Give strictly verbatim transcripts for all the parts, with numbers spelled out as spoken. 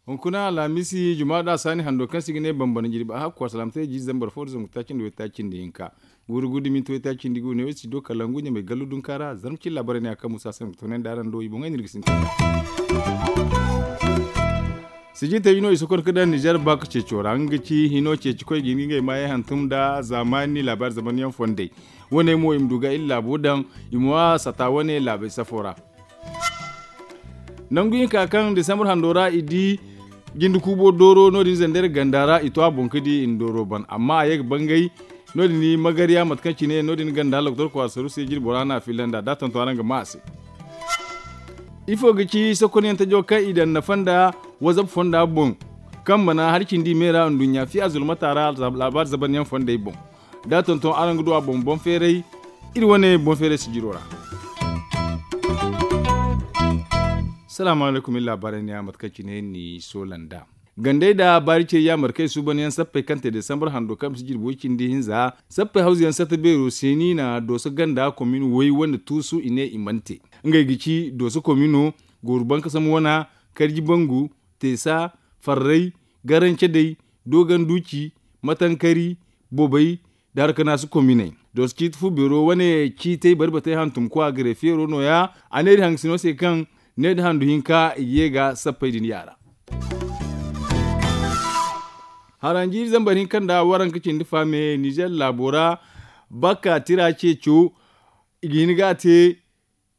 Hunkuna alhamisi jumaada saani hando kaŋ se i ga ne bambana jirbi a hakku asalaamtey jiize zambar fo nda zangu taaci nda waytaaci nda hinka. Guuru guuru da minti waytaaci nda guuru ne wo si do kala ngu ɲamay gallu dunka ra zarma cilla bare ne a kaŋ musa se nda ga toonandi araŋ do i boŋey no iri ga sintin. Sijitey no i sokon ka daŋ nizer baaka ceeco ra nga ga ci hino ceeci koy ga hin ga ngey maayey hantum nda zaamaani laabaari zamanyaŋ fondey. Wane mo i ma du ga iri laabo daŋ i ma wa sata wane laabey safo ra. Nangu hinka kaŋ disambar hando ra i di jinde kuubo dooro no- din zandar ganda ra i to a boŋ ka di i na dooro ban amma a ye ga bangay. No- din magarya mate kaŋ cine no- din ganda loktor kwaara saru se jirbo ra no a filla nd'a da a tonton araŋ ga maa a se. Ifo ga ci sokonyaŋ tajo kaŋ i daŋ nafa nda wazab fonda boŋ kaŋ mana hari cindi i me ra nduɲɲa fiya zulmata ra laabaari zabanyaŋ fondey boŋ? Da a tonton araŋ ga du a boŋ boŋ feeray. Iri wane boŋ feeray sijiro ra. Salaamu alaykum iri laabaarey ne ya mate kaŋ cine ni soola nd'a. Gandey nda baari cey yaamar kaŋ i suuban yaŋ sappey kaŋ te desambar hando kaŋ bisa jirbi way cindi hinza sappey hawzu yaŋ satta beero se no i na dooso ganda komin way wane tuusu i ne i mana te. Ngey ga ci dooso komino, gooru bankasam wana, karji bangu, teesa, farray, garancedey, dooganduuci, matankari, bobey, nda harkanaasu kominey. Dooso ciiti fu beero wane ciitey barbatey hantum kwa gare feero no- ya. A ne iri hangasino se kaŋ ne nda handu hinka i ga ye ga sappey din yaara. Haranjiiri zambar hinka nda waranka cindi faame nizer laabo ra. Bakka tira ceeco i ga hin ga a te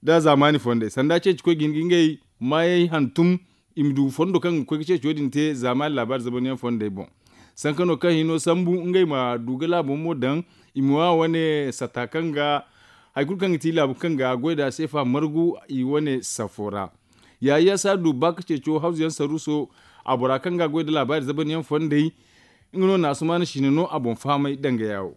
nda zaamaani fondey sanda ceeci koy ga hin ga ngey maayey hantum. I ma du fondo kaŋ ga koy ga ceeco din te zaamaani laabaari zabanyaŋ fondey boŋ. Sanka no kaŋ hino sambu ngey ma du ga laabo mo daŋ i ma wa wane sata kaŋ ga hari kulu kaŋ ga ti laabu kaŋ ga goy nd'a seefa margu i wane safo ra. Yaayi ya si a du ba ka ceeco hawzu yaŋ saruuso a bora kaŋ ga a goy nda laabaari zabanyaŋ fondey. Nga no naasumaana sine no a boŋ fahamay danga yaawo.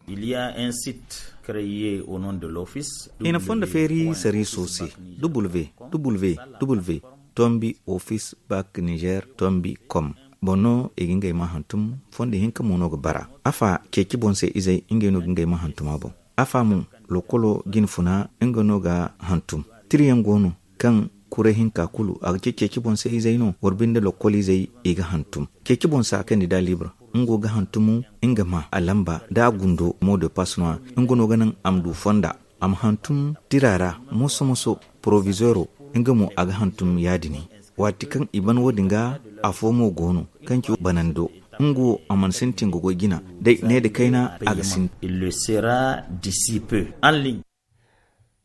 I na fondo feeri sariiso se, www tombi office bak nizer tombi com. Boŋ no i ga ngey ma hantum fondo hinka mo no ga bara. Afa ceeci boŋ se izey ngey no ga ngey ma hantum a boŋ. Afa mo lokolo jine funa nga no ga hantum. Tirayaŋ go no kaŋ kuray hinka kulu a ga ceeci boŋ se izey no wala binde lokol izey i ga hantum. Ceeci boŋ se a kandida libre nga go ga hantum nga ma a lamba da a gundo mo de pass no- ya. Nga no ga naŋ a ma du fonda a ma hantum tira ra moso moso. Porovizeero nga mo a ga hantum ya- din. Waati kaŋ i ban wo- din ga afo mo go no kaŋ ci banando nga wo a mana sintin ga goy jina day ne nda kayna a ga sintin.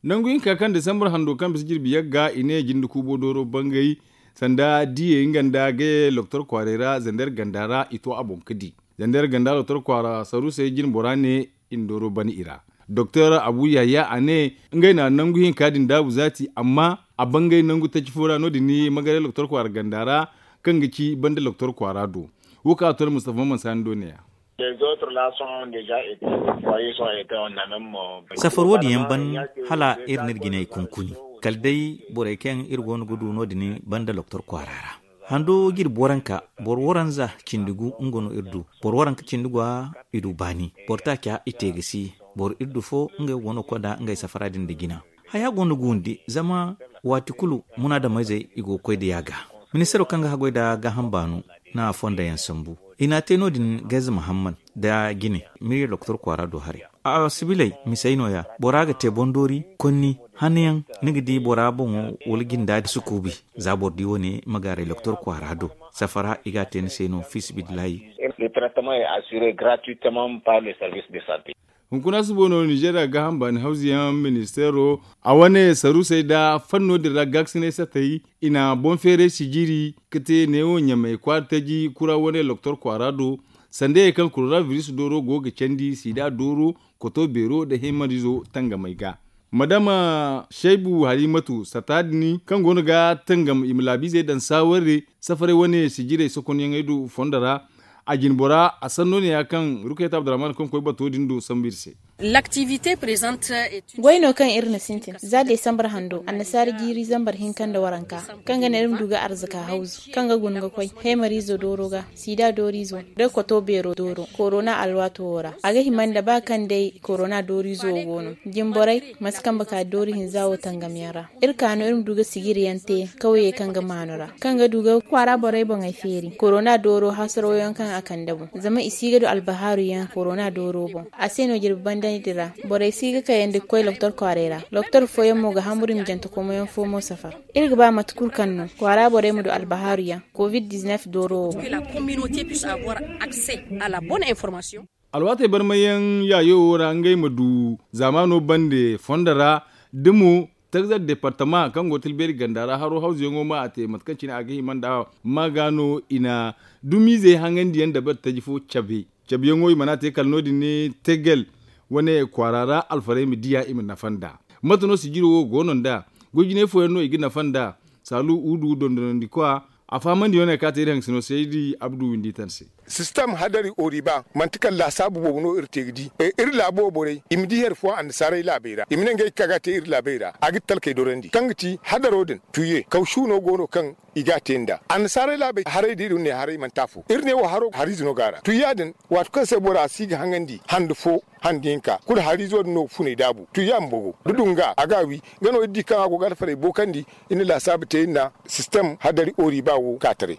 Nangu hinka kaŋ disambar hando kaŋ bisa jirbi yagga i ne jinde kuubo dooro bangay sanda diyey nga nda gaye loktor kwaaray ra zandar ganda ra i to a boŋ ga di. Zandar ganda loktor kwaara saruusey jine bora ne i na dooro ban i ra. Doktor abu yahya a ne ngey na nangu hinka din daabu zaati amma a bangay nangu taci fo ra no- din ni magaray loktor kwaara ganda ra kaŋ ga ci banda loktor kwaara do. Wo kaŋ a to nda mustafa maman saani do ne- ya. Safar wo- din yaŋ ban hala iri n'iri jinay kunkuni kala day borey kaŋ iri go no ga du no- din banda loktor kwaara ra. Hando ga iri boranka boro waranza cindi gu nga no iri du. Boro waranka cindi gwa i du baani boro taaca i te ga si. Boro iri du fo ngey go no ga koy nda ngey safara din nda jina. Haya go no ga windi zama waati kulu munaadameyzey i go ga koy da yaaga. Ministaro kaŋ ga haggoy nda gaaham baano na fonda yaŋ sambu. I n'a te no- din gayze muhammad nda jine mirye doktor kwaara do haray. A sibiley misey no- ya bora ga te boŋ doori konni hanno yaŋ ni ga di bora boŋo wala jinda sukuubi. Za boro di wo- ne ma gaaray doktor kwaara do safara i ga a te ni se no fiisabilillahi. Hunkuna subo no ninzeeriya gaaham baani hawzu yaŋ ministeero a wane saruusey nda fanno din ra gaakasinay satay i na boŋ feeray sijiri ga te neewo ɲamay kwaara taji kura wane loktor kwaara do. Sanda ye kaŋ korona biris dooro go ga candi sida dooro koto beero nda himarizo tangamay ga. Madama shaybu halimatu sata din kaŋ go no ga tangam i ma laabiizey daŋ saawarre safaray wane sijirey sokonyaŋey do fondo ra. A jine bora a sanno ne ya kaŋ rukayta abdurrahman kaŋ koy bato din do sambu iri se. Goy no kaŋ iri na sintin za desambar hando annasaara jiiri zambar hinka nda waranka, kaŋ ga naŋ iri ma du ga arzaka hawzu kaŋ ga guna ga koy heemariizo dooro ga, siida dooriizo, da koto beero dooro korona alwaato wo ra. A ga hima nda ba kaŋ day korona dooriizo wo go no, jimborey ma si kambe ka doori hinza wo tangamyaŋ ra. Iri ka no iri ma du ga sijiri yaŋ te kawyey kaŋ ga maanu ra, kaŋ ga du ga kwaara borey boŋey feeri korona dooro hasaraw yaŋ kaŋ a kande boŋ, zama i si ga du albahaaru yaŋ korona dooro boŋ. A se no jirbi banda din ra borey si ga kayandi ga koy doktor kwaaray ra. Doktor fooyaŋ mo ga hamburu i ma jantekomo yaŋ fo mo safar. Iri ga ba mate kulu kaŋ no kwaara borey ma du albahaaru yaŋ covid diznef dooro wo boŋ. Alwaatey barmayaŋ yaayo wo ra ngey ma du zaamaano bande fondo ra, da mo tagzar departama kaŋ go tilbeeri ganda ra haro hawzuyaŋo ma a te mate kaŋ cine a ga hima nd'a. Ma ga no i na dumiizey haŋandiyaŋ dabari taji fo cabe. Cabeyaŋo i mana te kala no- din ne tegel wane kwaara ra alfarey ma diya i ma nafa nd'a. Mate no sijiro wo go no nd'a? Goy jinay fooyaŋ no i ga nafa nd'a. Saalu huudu dondonandikwa a fahamandiyaŋo ne kaŋ a te iri haŋ sino saydi abdu windi tan se. Sistem hadari oriba manti kala laasaabu boobo no iri te ga di. Iri laabo borey i ma di hari fooyaŋ annasaarey laabey ra i ma ne ngey ga ka ga a te iri laabey ra a ga talkey dorandi kaŋ ga ti hadaro din tuye kawsu no go no kaŋ i ga a te nd'a. Annasaarey laabey haray da iri ne haray manti afo iri ne wo haro hariize no go a ra tuya din. Waati kaŋ se bora si ga haŋandi hande fo hande hinka kulu hariizo din no ga funay daabu tuya ma bogo da dunga a ga a wi. Nga no iri di kaŋ a go ga alfarey bookandi iri na laasaabu te iri na sistem hadari oriba wo ka taray.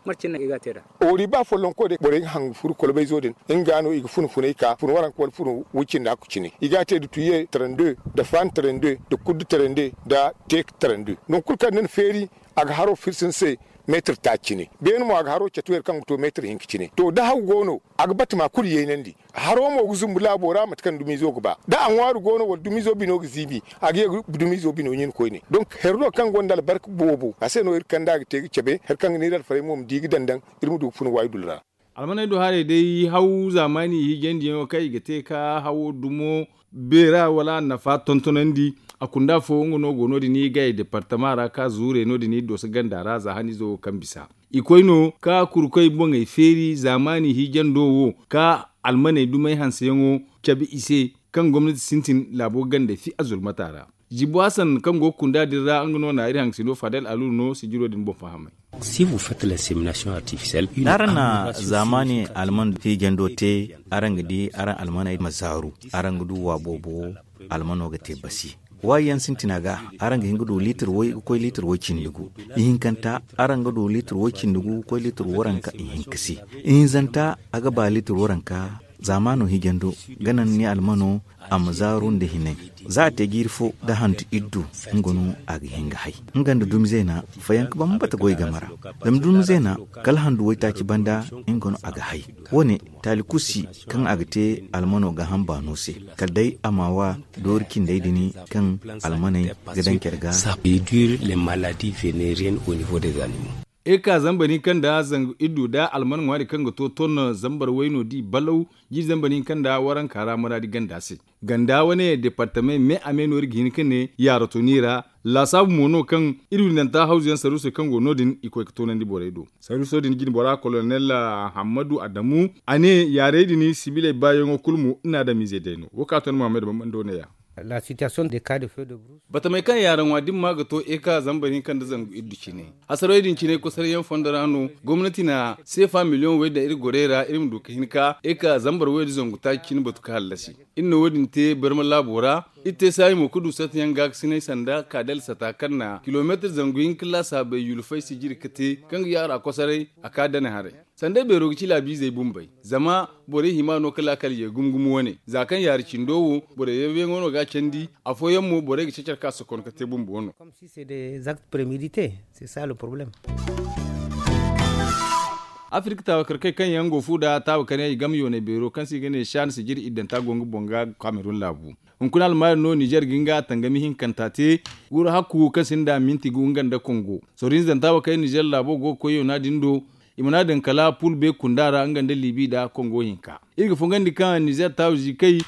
Oriba follonko day borey ga haŋ ga furu kolbayzo din nga no i ga fun funay ka fun waranka wala fun way cindi hakku cine i ga a te nda tuye trande nda fan trande nda kuddu trande nda teek trande. Nangu kulu kaŋ ni na feeri a ga haro firsi ni se meetir taaci cine. Beene mo a ga haro catu here kaŋ ga to meetir hinka cine to da haw go no a ga bati ma kulu yaynandi. Haro mo ga zumbu laabo ra mate kaŋ dumiizo ga ba da a ŋwaari go no wala dumiizo bino ga ziibi a ga ye ga dumiizo bino ɲin koyne. Donk here no kaŋ gonda albarka boobo a se no iri kand'a ga te ga cabe hari kaŋ ga ne iri alfarey mo ma di ga daŋ daŋ iri ma du ga funa waydul ra. Almaney do haray day haw zaamaani hiijandiyaŋo kaŋ i ga te ka hawo dumo beera wala annafa tontonandi. A kunda fo nga no go no- din i gay departama ra ka zuure no- din i dooso ganda ra za haniizo wo kaŋ bisa i koy no ka kurkoy boŋey feeri zaamaani hiijando wo ka almaney dumey hanseyaŋo cabe i se kaŋ gomnati sintin laabo gandey fi a zulmata ra. Jibo hasan kaŋ go ga kunda din ra nga no na iri haŋ sino fadel alu no sijiro din boŋ fahamay. Si vous faites l'insémination artificielle da araŋ na zaamaani alman hiijando te araŋ ga di araŋ almaney ma zaaru. Araŋ ga du wa boobo almano ga te basi. Waayi yaŋ sintina ga araŋ ga hin ga du liitir way ga koy liitir way cindi gu. Ihinkanta araŋ ga du liitir way cindi gu ga koy liitir waranka ihinka se. Ihinzanta a ga ba liitir waranka zaamaano hiijando ga naŋ ni almano a ma zaaru nda hinay. Za a te jiiri fo da handu iddu nga no a ga hin ga hay nga nda dumi zeena fayanka bambata goy game ra. Zama dumi zeena kala handu waytaaci banda nga no a ga hay. Wo- ne taali kulu si kaŋ a ga te almano gaaham baano se kala day a ma wa doori cindey din kaŋ almaney ga daŋ care ga. Eka zambar hinka nda zangu iddu da alman ŋwaari kaŋ ga to ton zambar wayno di balaw jiiri zambar hinka nda waranka ra muraadi ganda se. Ganda wane departamey me a me no iri ga hin ga ne yaarato ni ra. Laasaabu mo no kaŋ iri windanta hawzu yaŋ saruusey kaŋ go no- din i koy ga toonandi borey do. Saruuso din jine bora kolonel hammadu adamu a ne yaarey din sibiley baayaŋo kulu mo iri na adamiizey day no wo ka ton muhammad bambando ne- ya. Batamey kaŋ yaaraŋwa dimma ga to eka zambar hinka nda zangu iddu cine. Hasarawey din cine kosaryaŋ fondo ra no gomnati na seefa miliyoŋ way daŋ iri gorey ra iri ma du ga hin ka eka zambar way da zangu taaci cine batu ga hallasi. Iri na wo- din te barma laabo ra. Iri te saayi mo ga du satayaŋ gaakasinay sanda kaadal sata kaŋ na kilomeetir zangu hinka laasaabey yulfay sijiri ga te kaŋ ga yaara kosoray a ka dane haray. Sandey beero ga ci laabiizey bumbey zama borey hima no ga laakal ye gumo gumo wane za kaŋ yaari cindo wo borey yawyaŋo no ga a candi. Afooyaŋ mo borey ga cacar ka sokon ga te bumbo no. Afirka taawakarkey kaŋ yaŋ go fu nda taawakaryaŋ i game yooney beero kaŋ se i ga ne shan sijiri iddanta go nga boŋ ga kamerun laabu. Hunkuna almaari no nizer ga nga tangami hinkanta te. Guuru hakku kaŋ sinda minti gu nga nda kongo sorihinzanta wo kaŋ nizer laabo go ga koy yoona din do. I mana daŋ kala pul be kunda ra nga nda libi nda kongo hinka. Iri ga fongandi kaŋ nizer taawu zikay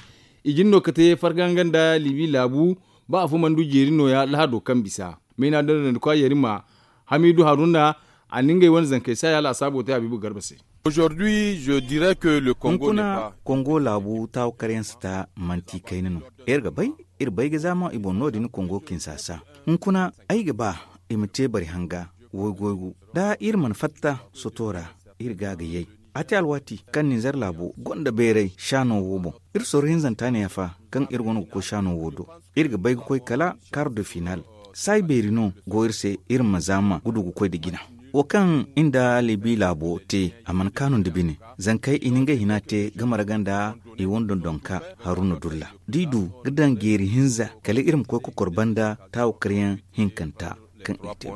i jin no ga te farga nga nda libi laabu. Ba afo mana du jeeri nooya lahado kaŋ bisa mayna dondon ga koy a yeeri ma hamidu haruna. A na ngey wane zankey se a ya laasaabo te habiibu garba se. Aujourd'hui je dirais que le Congo n'est pas. Hunkuna kongo laabu taawakaryaŋ si ta manti kayna no. Iri ga bay iri bay ga zaama i boŋ no- din kongo kinsasa. Hunkuna ay ga ba i ma te bari hanga waygu-waygu da iri mana fatta soto ra. Iri ga a ga yay a te alwaati kaŋ ninzeer laabo gonda bayray shaano wo boŋ. Iri sorro hinzanta ne ya fa kaŋ iri go no ga koy shaano wo do. Iri ga bay ga koy kala kar de final. Saayi beeri no go iri se iri ma zaama ga du ga koy nda jina. Wo kaŋ iri nda libi laabo te a mana kaanu nda bine. Zankey i na ngey hina te ga marga nda i wane dondonka haruna dulla da i du ga daŋ jeeri hinza kala iri ma koy kokor banda taawakaryaŋ hinkanta kaŋ i te.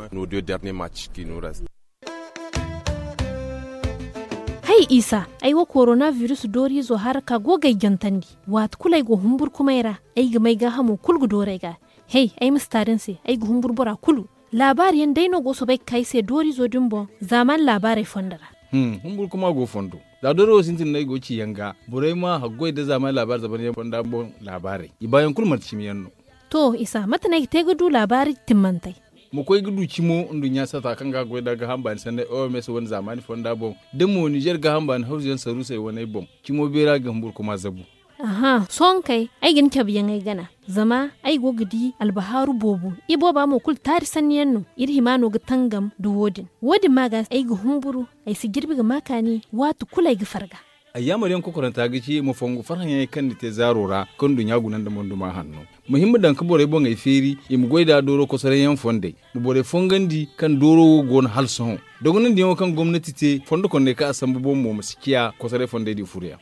Hay isa, ay wo korona virus dooriizo haraka go ga ay jantandi. Waati kulu ay go humburkumay ra, ay ga may gaahamo kulu ga dooru ay ga. Hey, ay ma si taari ni se, ay ga humburu bora kulu. Laabaari yaŋ day no go soobay ga ka ay se dooriizo din boŋ zaamaani laabaarey fondo ra. Humburu kuma go fondo. Za dooro wo sintin no ay go ga ci yaŋ ga borey ma haggoy nda zaamaani laabaari zaban yaŋ fonda boŋ. Laabaarey i baayaŋ kulu manti cimi yaŋ no. To isa mate no ay ga te ga du laabaari timmantey? Ma koy ga du cimo nduɲɲa sata kaŋ ga haggoy nda gaaham baani sanney oms wane zaamaani fonda boŋ. Da mo nizer gaaham baani hawzu yaŋ saruusey waney boŋ. Cimo beera ga humburu kuma zabu. Aha sohõ kay, ay ga ni cabe yaŋ ay gana. Zama ay go ga di albahaaru boobo. Ibooba mo kulu taari sanni yaŋ no. Iri hima no ga tangam nda wo- din. Wo- din ma ga ay ga humburu. Ay si jirbi ga ma kaani waati kulu ay ga farga. Ayyaamar yaŋ kokoranta ga ci ma fongu farhã yaŋey kaŋ ni te zaaro ra kaŋ nduɲɲa guna nda monduma hanno. Ma hin ma daŋ ga borey boŋey feeri i ma goy nd'a dooro kosoray yaŋ fondey. Ma borey fongandi kaŋ dooro wo go no hala sohõ. Dogonandiyaŋo kaŋ gomnati te fondo kondey kaŋ a sambu boŋ mo ma si ciya kosoray fondey din furoyaŋ.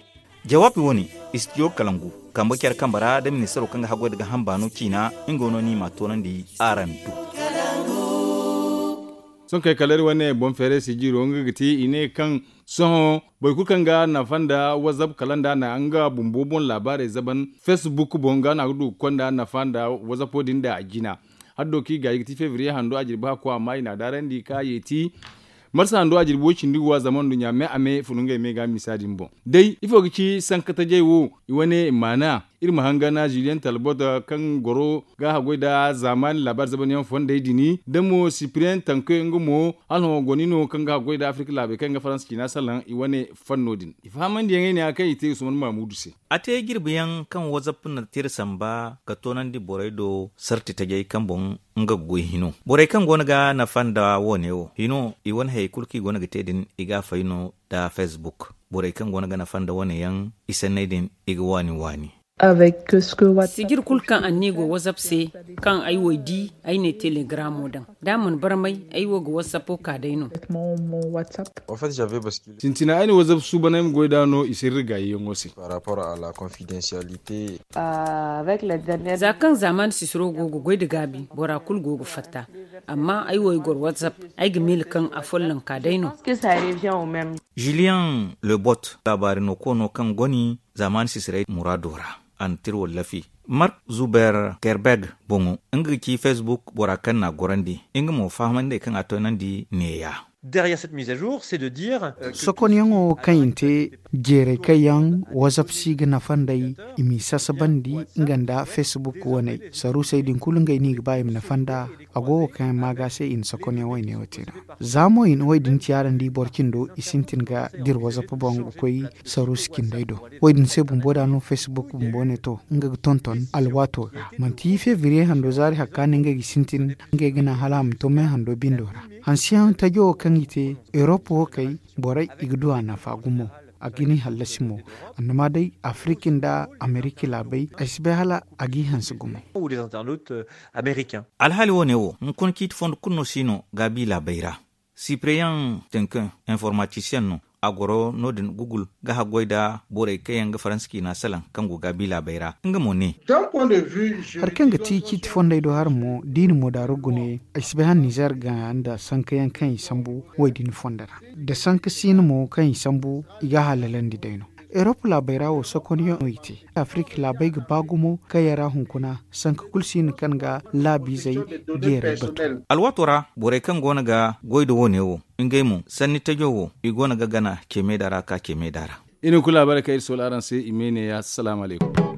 Jawaabi wane, istidiyo kalangu, kambe care kambe ra nda ministaro kaŋ ga haggoy nda gaaham baano ciina. Nga no no i m'a toonandi araŋ do. Sohõ kay kala iri wane boŋ feeray sijiro nga ga ti i ne kaŋ sohõ boro kulu kaŋ ga nafa nda wazap kala nda na nga bumbo boŋ laabaarey zaban, facebook boŋ ga no a ga du ga konda nafa nda wazapo din nda a jina. Haddo kaŋ i gaayi ga ti febriye hando a jirbi hakko amma i n'a daarandi ka yeeti. Marsa hando a jirbi wo- cindi ga wa zama nduɲɲa me a me funu ngey me ga misa din boŋ. Day ifo ga ci sanka tajey wo? I wane maana iri ma hangana juliyen talbot kaŋ goro ga haggoy nda zaamaani laabaari zabanyaŋ fondey din, da mo sipriyen tanke nga mo hala hõ goni no kaŋ ga haggoy nda afirka laabey kaŋ ga faransa ciina salaŋ i wane fanno din. I fahamandiyaŋey ne ya kaŋ i te usman mamudu se. A te jirbiyaŋ kaŋ wazap na tira samba ga toonandi borey do sarti tajey kaŋ boŋ nga ga goy hino. Borey kaŋ go no ga nafa nda wo- ne wo hino i wane hayey kulu kaŋ i go no ga te din i ga a fay no nda facebook. Borey kaŋ go no ga nafa nda wo- ne yaŋ i sanney din i ga waani waani. Sijir kulu kaŋ anniya go wazap se, kaŋ ay wo ay di ay ne telegramo daŋ da a mana barmay ay wo ga wasapo ka day no. Sintina ay na wazap suuban ay ma goy nd'a no i sirri gaayiyaŋo se. Za kaŋ zaamaani sisiro go ga goy nda gaabi bora kulu go ga fatta. Amma ay wo ay goro wazap, ay ga miila kaŋ afolloŋ ka day no. Julian lebot laabaari no koono kaŋ goni zaamaani sisirey muraado ra. A na tira wallafi mark zuber kerbeg boŋo nga ga ci facebook bora kaŋ n'a gorandi nga mo fahamandi kaŋ a toonandi neeya. Sokonyaŋo kaŋ i na te jeeray kaŋ yaŋ wazap si ga nafa nd'ey, i m'i sasabandi nga nda facebook waney saruusey din kulu ngey no i ga ba i ma nafa nd'a. A go wo kaŋ yaŋ ma ga se i na sokonyaŋ wayne wo te no. Za mo i na wo- din ciyaarandi boro cindo i sintin ga dira wazap boŋ ga koy saruusi cindey do. Wo- din se bumbo da no facebook bumbo ne to nga ga tonton alwaato ga manti febriye hando zaari hakka no ngey ga sintin ngey ga naŋ hala a ma to me hando bindo ra. Hansiyaŋ tajo wo kaŋ i te erop wo kay borey i ga du a nafa gumo. A ga ni hallasi mo. Annama day afiriki nda ameriki laabey ay si bay hala a g'i hanse gumo. Alhaali wo- ne wo hunkuna ciiti fondo kulu no si no gaabi laabey ra. Sipreyaŋ tenkin informatisiyaŋ no a goro no- din gugul ga haggoy nda borey kaŋ yaŋ ga faransa ciina salaŋ kaŋ go gaabi laabey ra nga mo ne. Hari kaŋ ga ti ciiti fondey do hari mo da i na moodaaro gune ay si bay hala nizer ga nda sanka yaŋ kaŋ i sambu wo- din fondo ra. Da sanka siina mo kaŋ i sambu i ga a halalandi day no. Erop laabey ra wo sokonyaŋ no i te. Afirika laabey ga ba gumo kaŋ yaŋ ra hunkuna sanka kulu siina kaŋ ga laabiizey jeeray batu. Alwaato ra borey kaŋ go no ga goy nda wo- ne wo ngey mo sanni tajo wo i go no ga gana cemeeda ra ka cemeeda ra. I na hunkuna laabaarey kaŋ iri soola araŋ se i ma ay ne ya salaamu alaykum.